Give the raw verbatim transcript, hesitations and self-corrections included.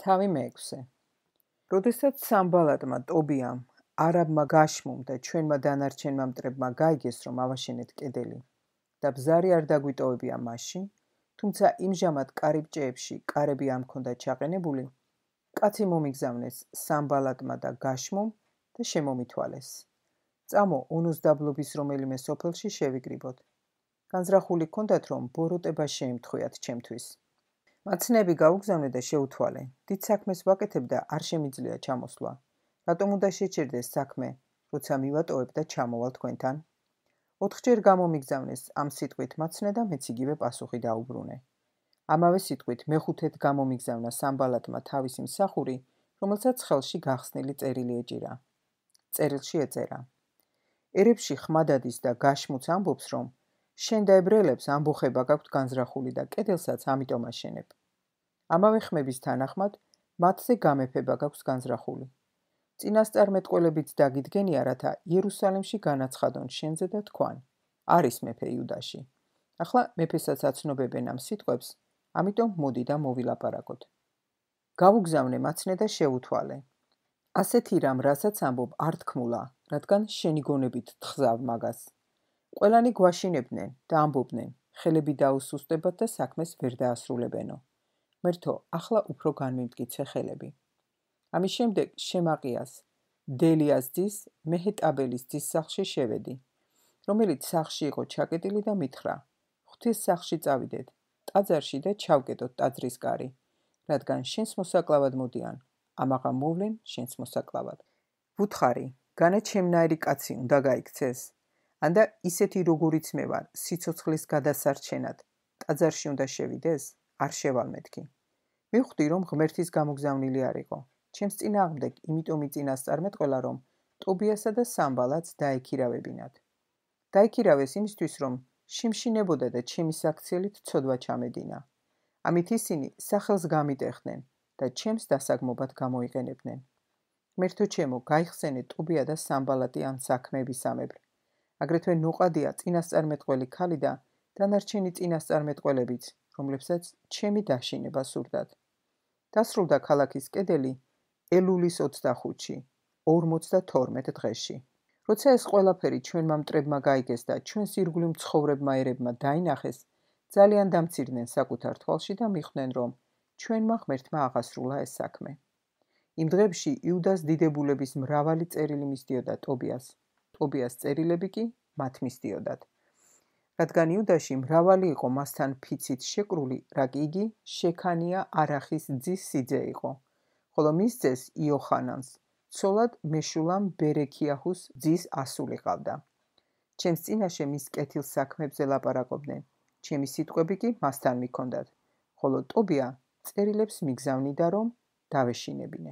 თავი მეექვსე. როდესაც სამბალატმა ტობიამ, არაბმა გაშმում და ჩვენმა დანარჩენმა მტრებმა გაიგეს, რომ ავაშენეთ კედელი და ბზარი არ დაგვიტოვებია მასში, თუმცა იმჟამად კარიბჭეებში კარები არ მქონდა ჩაყენებული, კაცი მომიგზავნეს სამბალატმა და გაშმում და შემომითვალეს. წამო ონოს დაბლობის რომელიმე სოფელში შევიგრიბოთ. განზრახული ჰქონდათ, რომ ბოროტება შეემთხვიათ ჩემთვის. მაცნეები გაუგზავნე და შეუთვალე. დიდ საქმეს ვაკეთებ და არ შემიძლია ჩამოსვლა. რატომ უნდა შეჭირდეს საქმე, როცა მივატოვებ და ჩამოვალ თქვენთან? ოთხჯერ გამომიგზავნეს ამ სიტყვით მაცნე და მეც იგივე პასუხი დაუბრუნე. ამავე სიტყვით მეხუთედ გამომიგზავნა სამბალატმა თავისი მსახური, რომელსაც ხელში გახსნილი წერილი ეჭირა. წერილში ეწერა: ერებში ხმადადის და გაშმუც ამბობს, რომ შენ და ებრაელებს ამბოხება გაქვთ განზრახული და კედელსაც ამიტომ აშენებ. ამავე ხმების თანახმად მათზე გამეფება გაქვს განზრახული. წინასწარმეტყველებიც დაგიდგენია, რათა იერუსალიმში განაცხადონ შენზე და თქვან: არის მეფე იუდაში. ახლა მეფესაც აცნობებენ ამ სიტყვებს, ამიტომ მოდი და მოვილაპარაკოთ. გავუგზავნე მაცნე და შეუთვალე. ასეთი რამ, რასაც ამბობ, არ თქმულა, რადგან შენი გონებით თხზავ მაგას. ყველანი გვაშინებდნენ და ამბობდნენ, ხელები დაუსუსტებათ და საქმეს ვერ დაასრულებენო. მერთო, ახლა უფრო განმიმტკიცე ხელები. ამის შემდეგ შემაყიას, დელიას ძის, მეჰეტაბელის ძის სახლში შევედი, რომელიც სახლში იყო ჩაკეტილი და მითხრა: ღვთის სახლში წავიდეთ, ტაძარში და ჩავკეტოთ ტაძრის კარი, რადგან შენს მოსაკლავად მოდიან, ამაღა მოვლენ შენს მოსაკლავად. ვუთხარი, განა ჩემნაირი კაცი უნდა გაიქცეს? ანდა ისეთი როგორიც მე ვარ, სიცოცხლის გადასარჩენად, ტაძარში უნდა შევიდეს? არ შევალ მეთქი. მივხვდი, რომ ღმერთის გამოგზავნილი არ იყო. ჩემს წინააღმდეგ იმიტომ იწინასწარმეტყველა, რომ ტობიასა და სამბალატს დაექირავებინათ. დაექირავეს იმისთვის, რომ შემშინებოდა და ჩემი საქციელით ცოდვა ჩამედინა. ამით ისინი სახელს გამიტეხდნენ და ჩემს დასაგმობად გამოიყენებდნენ. ღმერთო ჩემო, გაიხსენე ტობია და სამბალატი ამ საქმეებისამებრ. აგრეთვე ნოყადია წინასწარმეტყველი ქალი და დანარჩენი წინასწარმეტყველებიც, რომლებსაც ჩემი დაშინება სურდათ. დასრულდა ქალაქის კედელი ელულის ოცდახუთში, ორმოცდათორმეტ დღეში. როცა ეს ყველაფერი ჩვენმა მტრებმა გაიგეს და ჩვენს ირგვლივ მცხოვრებმა ერებმა დაინახეს, ძალიან დამცირდნენ საკუთარ თვალში და მიხვდნენ, რომ ჩვენმა ღმერთმა აღასრულა ეს საქმე. იმ დღეებში იუდას დიდებულების მრავალი წერილი მისდიოდა ტობიას. ტობიას წერილები კი მათ მისდიოდათ. რადგან იუდაში მრავალი იყო მასთან ფიცით შეკრული, რაკ იგი შექანია არახის ძის სიძე იყო, ხოლო მის ძეს იოხანანს ცოლად მეშულამ ბერექიაჰუს ძის ასული ყავდა. ჩემს წინაშე მის კეთილ საქმებზე ლაპარაკობდნენ, ჩემი სიტყვები კი მასთან მიქონდათ, ხოლო ტობია წერილებს მიგზავნიდა, რომ დავეშინებინე.